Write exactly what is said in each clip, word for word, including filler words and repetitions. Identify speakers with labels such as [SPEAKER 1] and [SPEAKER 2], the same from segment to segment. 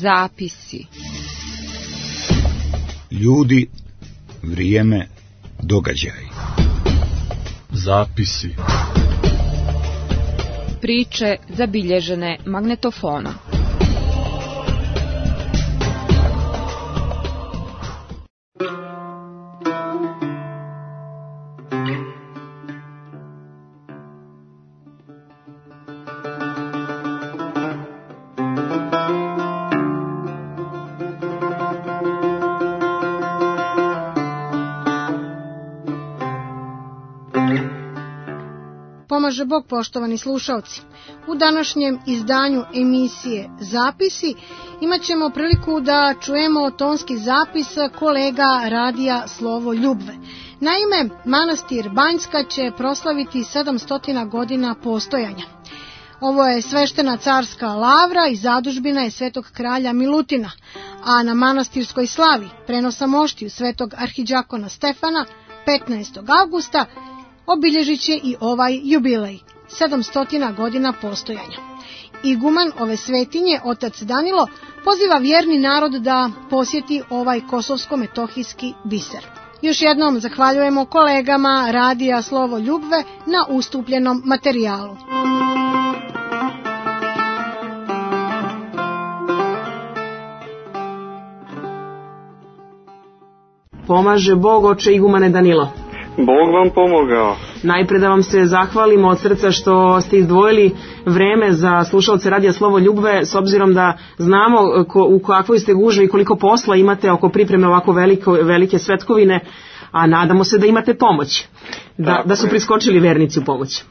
[SPEAKER 1] Zapisi.
[SPEAKER 2] Ljudi, vrijeme, događaj.
[SPEAKER 3] Zapisi.
[SPEAKER 1] Priče zabilježene magnetofonom.
[SPEAKER 4] Pomaže Bog, poštovani slušalci. U današnjem izdanju emisije Zapisi imat ćemo priliku da čujemo tonski zapis kolega radija Slovo Ljubve. Naime, manastir Banjska će proslaviti sedamsto godina postojanja. Ovo je sveštena carska lavra i zadužbina je svetog kralja Milutina, a na manastirskoj slavi prenosa moštiju svetog arhidžakona Stefana petnaestog avgusta obilježit će i ovaj jubilej, sedamsto godina postojanja. Iguman ove svetinje, otac Danilo, poziva vjerni narod da posjeti ovaj kosovsko-metohijski biser. Još jednom zahvaljujemo kolegama radija Slovo Ljubve na ustupljenom materijalu.
[SPEAKER 5] Pomaže Bog, oče igumane Danilo.
[SPEAKER 6] Bog vam pomogao.
[SPEAKER 5] Najpre da vam se zahvalimo od srca što ste izdvojili vreme za slušalce radija Slovo Ljubve, s obzirom da znamo ko, u kakvoj ste gužvi i koliko posla imate oko pripreme ovako veliko, velike svetkovine, a nadamo se da imate pomoć, da, da su priskočili vernici u pomoć.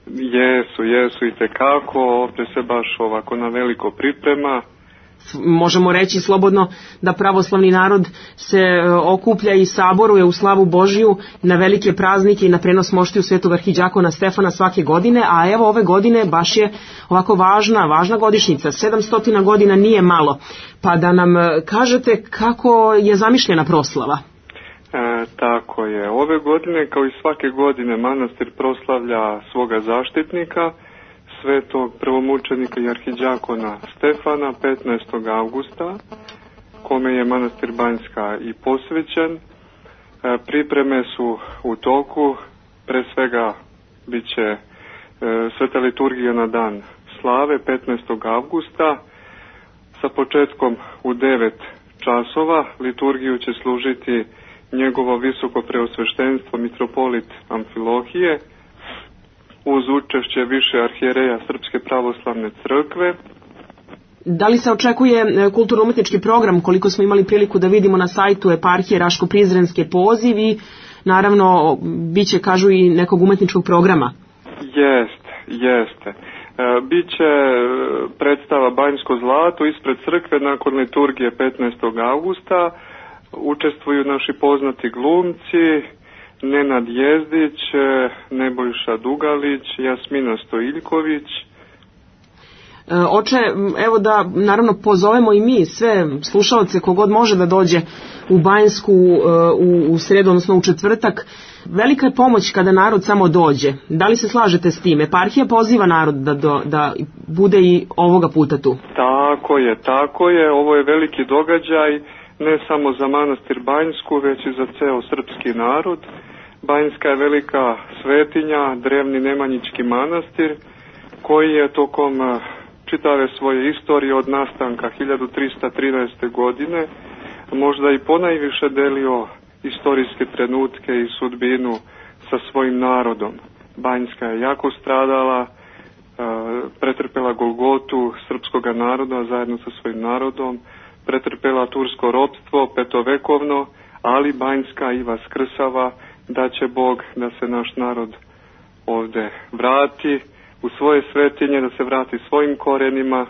[SPEAKER 6] Jesu, jesu i tekako, ovdje se baš ovako na veliko priprema.
[SPEAKER 5] Možemo reći slobodno da pravoslavni narod se okuplja i saboruje u slavu Božiju na velike praznike i na prenos moštiju svetog arhidžakona Stefana svake godine, a evo ove godine baš je ovako važna, važna godišnjica, sedamsto godina nije malo, pa da nam kažete kako je zamišljena proslava.
[SPEAKER 6] E, tako je, ove godine kao i svake godine manastir proslavlja svoga zaštitnika, svetog prvomučenika i arhidžakona Stefana petnaestog avgusta, kome je manastir Banjska i posvećen. E, pripreme su u toku, pre svega bit će e, sveta liturgija na dan slave petnaestog avgusta, sa početkom u devet časova. Liturgiju će služiti njegovo visoko preosveštenstvo mitropolit Amfilohije, uz učešće više arhijereja Srpske pravoslavne crkve.
[SPEAKER 5] Da li se očekuje kulturno-umetnički program, koliko smo imali priliku da vidimo na sajtu eparhije Raško-Prizrenske poziv i naravno bit će, kažu, i nekog umetničkog programa?
[SPEAKER 6] Jeste, jeste. E, biće predstava Banjsko zlato ispred crkve nakon liturgije petnaestog avgusta. Učestvuju naši poznati glumci, Nenad Jezdić, Nebojša Dugalić, Jasmina Stojiljković.
[SPEAKER 5] Oče, evo da naravno pozovemo i mi sve slušalce kogod može da dođe u Banjsku u, u sredu, odnosno u četvrtak. Velika je pomoć kada narod samo dođe. Da li se slažete s tim? Eparhija poziva narod da, do, da bude i ovoga puta tu.
[SPEAKER 6] Tako je, tako je. Ovo je veliki događaj, ne samo za manastir Banjsku, već i za ceo srpski narod. Banjska je velika svetinja, drevni nemanjički manastir, koji je tokom čitave svoje istorije od nastanka hiljadu trista trinaeste. godine možda i ponajviše delio istorijske trenutke i sudbinu sa svojim narodom. Banjska je jako stradala, pretrpela golgotu srpskoga naroda zajedno sa svojim narodom, pretrpela tursko ropstvo petovekovno, ali Banjska i vaskrsava, da će Bog da se naš narod ovde vrati u svoje svetinje, da se vrati svojim korenima.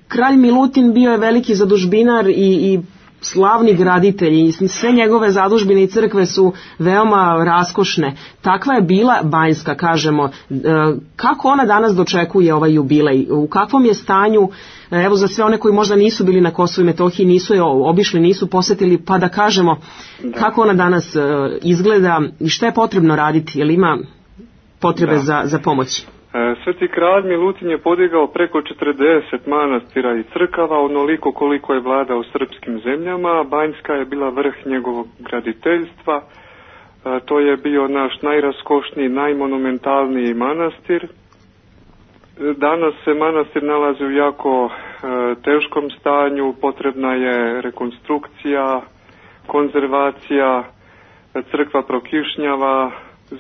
[SPEAKER 5] Kralj Milutin bio je veliki zadužbinar i, i slavni graditelj i sve njegove zadužbine i crkve su veoma raskošne. Takva je bila Banjska, kažemo. Kako ona danas dočekuje ovaj jubilej? U kakvom je stanju, evo za sve one koji možda nisu bili na Kosovu i Metohiji, nisu je obišli, nisu posetili, pa da kažemo da. Kako ona danas izgleda i šta je potrebno raditi? Jel ima potrebe za, za pomoć?
[SPEAKER 6] Sveti kralj Milutin je podigao preko četrdeset manastira i crkava, onoliko koliko je vladao srpskim zemljama. Banjska je bila vrh njegovog graditeljstva. To je bio naš najraskošniji, najmonumentalniji manastir. Danas se manastir nalazi u jako teškom stanju, potrebna je rekonstrukcija, konzervacija, crkva prokišnjava,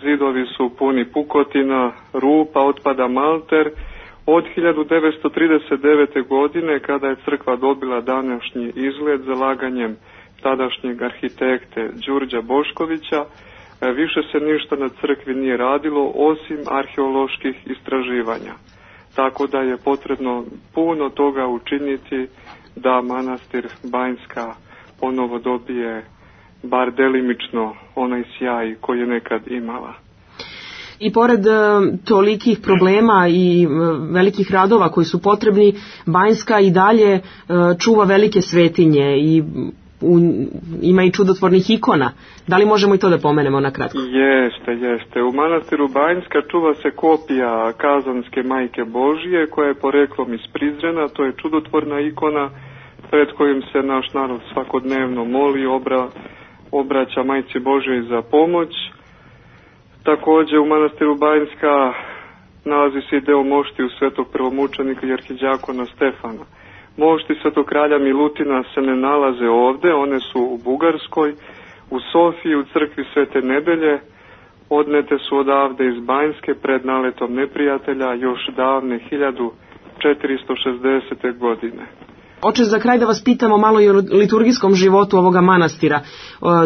[SPEAKER 6] zidovi su puni pukotina, rupa, otpada malter. Od hiljadu devetsto trideset devete. godine, kada je crkva dobila današnji izgled zalaganjem tadašnjeg arhitekte Đurđa Boškovića, više se ništa na crkvi nije radilo osim arheoloških istraživanja. Tako da je potrebno puno toga učiniti da manastir Banjska ponovo dobije bar delimično onaj sjaj koji je nekad imala.
[SPEAKER 5] I pored tolikih problema i velikih radova koji su potrebni, Banjska i dalje čuva velike svetinje i u, ima i čudotvornih ikona. Da li možemo i to da pomenemo na kratko?
[SPEAKER 6] Jeste, jeste. U manastiru Banjska čuva se kopija Kazanske Majke Božije, koja je poreklom iz Prizrena. To je čudotvorna ikona pred kojim se naš narod svakodnevno moli, obra, obraća Majci Božoj za pomoć. Također u manastiru Banjska nalazi se i deo moštiju svetog prvomučenika i arhiđakona Stefana. Mošti svetog kralja Milutina se ne nalaze ovde, one su u Bugarskoj, u Sofiji, u crkvi Svete Nedelje. Odnete su odavde iz Banjske pred naletom neprijatelja još davne hiljadu četiristo šezdesete. godine.
[SPEAKER 5] Oče, za kraj da vas pitamo malo i o liturgijskom životu ovoga manastira.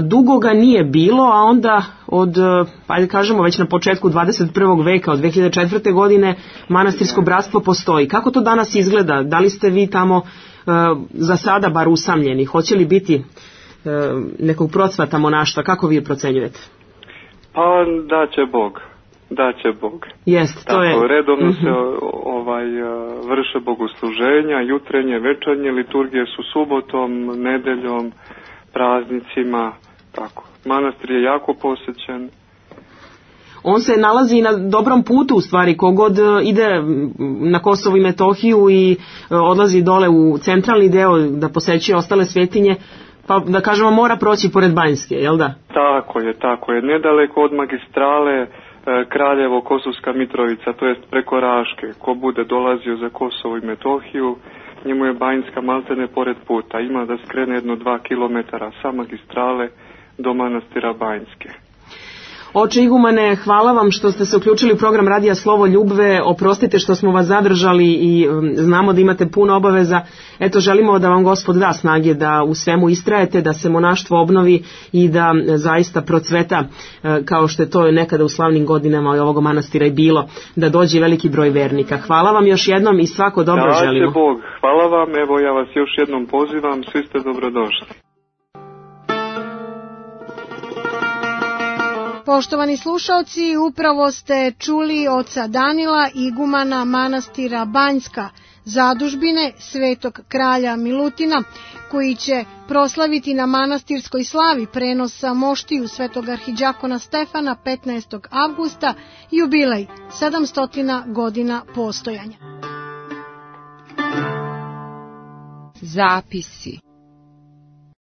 [SPEAKER 5] Dugo ga nije bilo, a onda od, ajde kažemo, već na početku dvadeset prvog veka, od dve hiljade četvrte. godine, manastirsko bratstvo postoji. Kako to danas izgleda? Da li ste vi tamo za sada bar usamljeni? Hoće li biti nekog procvata monaštva? Kako vi procenjujete?
[SPEAKER 6] Pa da će Bog. Da će Bog.
[SPEAKER 5] Jest, to
[SPEAKER 6] Tako,
[SPEAKER 5] je.
[SPEAKER 6] redovno
[SPEAKER 5] mm-hmm.
[SPEAKER 6] se ovaj, vrše bogosluženja, jutrenje, večernje, liturgije su subotom, nedeljom, praznicima, tako. Manastir je jako posećen.
[SPEAKER 5] On se nalazi na dobrom putu, u stvari, kogod ide na Kosovo i Metohiju i odlazi dole u centralni deo da posećuje ostale svetinje, pa da kažemo mora proći pored Banjske, jel da?
[SPEAKER 6] Tako je, tako je. Nedaleko od magistrale Kraljevo, Kosovska Mitrovica, to jest preko Raške. Ko bude dolazio za Kosovo i Metohiju, njemu je Banjska maltene pored puta. Ima da skrene jedno dva kilometara sa magistrale do manastira Banjske.
[SPEAKER 5] Oče igumane, hvala vam što ste se uključili u program Radija Slovo Ljubve. Oprostite što smo vas zadržali i znamo da imate puno obaveza. Eto, želimo da vam Gospod da snage da u svemu istrajete, da se monaštvo obnovi i da zaista procveta, kao što je to nekada u slavnim godinama ovog manastira i bilo, da dođe veliki broj vernika. Hvala vam još jednom i svako dobro
[SPEAKER 6] da,
[SPEAKER 5] želimo.
[SPEAKER 6] Da će Bog. Hvala vam. Evo, ja vas još jednom pozivam. Svi ste dobrodošli.
[SPEAKER 4] Poštovani slušalci, upravo ste čuli oca Danila, igumana manastira Banjska, zadužbine Svetog kralja Milutina, koji će proslaviti na manastirskoj slavi prenosa moštiju Svetog arhiđakona Stefana petnaestog avgusta, jubilej sedamsto godina postojanja.
[SPEAKER 1] Zapisi.